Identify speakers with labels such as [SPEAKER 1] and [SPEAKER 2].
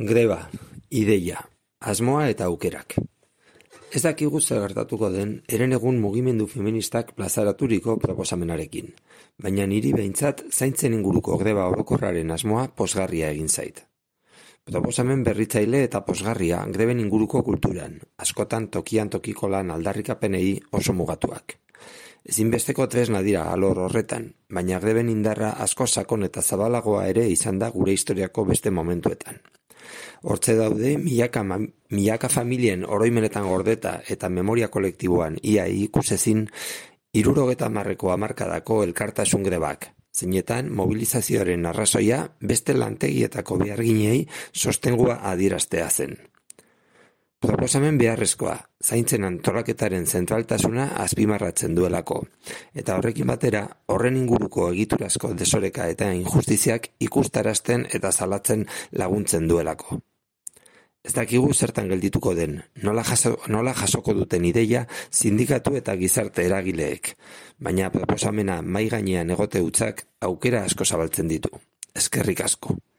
[SPEAKER 1] Greba, ideia, asmoa eta aukerak. Ez dakigu zer gertatuko den herenegun mugimendu feministak plazaraturiko proposamenarekin, baina niri behintzat zaintzen inguruko greba orokorraren asmoa pozgarria egin zait. Proposamen berritzaile eta pozgarria greben inguruko kulturan, askotan tokian tokiko lan aldarrikapenei oso mugatuak. Ezinbesteko tresna dira alor horretan, baina greben indarra asko sakon eta zabalagoa ere izan da gure historiako beste momentuetan. Hortze daude milaka familien oroimenetan gordeta eta memoria kolektiboan ia ikusezin 70 hamarkadako elkartasun grebak, zeinetan mobilizazioaren arrazoia beste lantegietako beharginei sostengua adieraztea zen. Proposamen beharrezkoa, zaintzen antolaketaren zentraltasuna azpimarratzen duelako, eta horrekin batera, horren inguruko egiturazko desoreka eta injustiziak ikustarazten eta salatzen laguntzen duelako. Ez dakigu zertan geldituko den, nola jasoko duten ideia sindikatu eta gizarte eragileek, baina proposamena mahai gainean egote hutzak aukera asko zabaltzen ditu. Eskerrik asko.